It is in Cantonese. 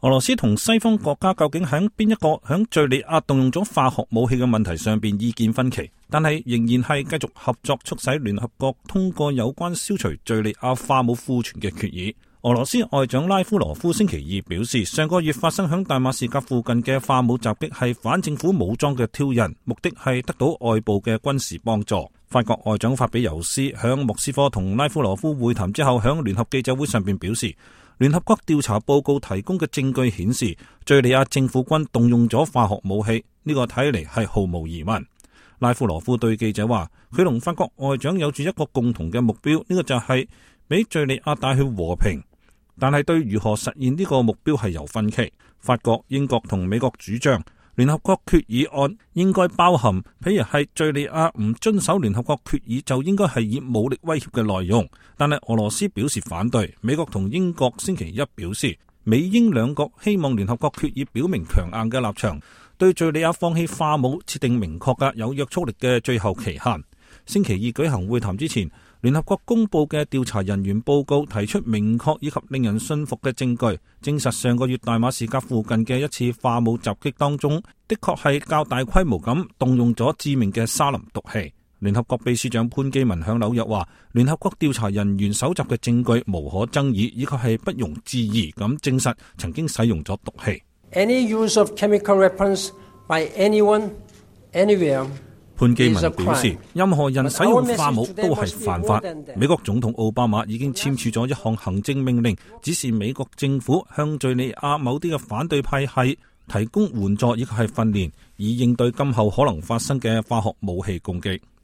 俄羅斯同西方國家究竟喺邊一個喺敘利亞動用咗化學武器嘅問題上邊意見分歧，但係仍然係繼續合作，促使聯合國通過有關消除敘利亞化武庫存嘅決議。俄羅斯外長拉夫羅夫星期二表示，上個月發生響大馬士革附近嘅化武襲擊係反政府武裝嘅挑釁，目的係得到外部嘅軍事幫助。法國外長法比尤斯響莫斯科同拉夫羅夫會談之後，響聯合記者會上邊表示，聯合國調查報告提供嘅證據顯示，敘利亞政府軍動用咗化學武器，呢個睇嚟係毫無疑問。拉夫羅夫對記者話，佢同法國外長有住一個共同嘅目標，呢個就係俾敘利亞帶去和平，但係對如何實現呢個目標係有分歧。法國、英國同美國主張聯合國決議案應該包含，譬如係敘利亞唔遵守聯合國決議就應該係以武力威脅嘅內容，但係俄羅斯表示反對。美國同英國星期一表示，美英兩國希望聯合國決議表明強硬嘅立場，對敘利亞放棄化武設定明確嘅有約束力嘅最後期限。星期二舉行會談之前，聯合國公布嘅調查人員報告提出明確以及令人信服嘅證據，證實上個月大馬士革附近嘅一次化武襲擊當中，的確係較大規模咁動用咗致命嘅沙林毒氣。聯合國秘書長潘基文響紐約話，聯合國調查人員搜集嘅證據無可爭議，以及係不容置疑咁證實曾經使用咗毒氣。Any use of chemical weapons by anyone, anywhere，潘基文表示，任何人使用化武都係犯法。美國總統奧巴馬已經簽署咗一項行政命令，指示美國政府向敘利亞某啲嘅反對派系提供援助以及係訓練，以應對今後可能發生嘅化學武器攻擊。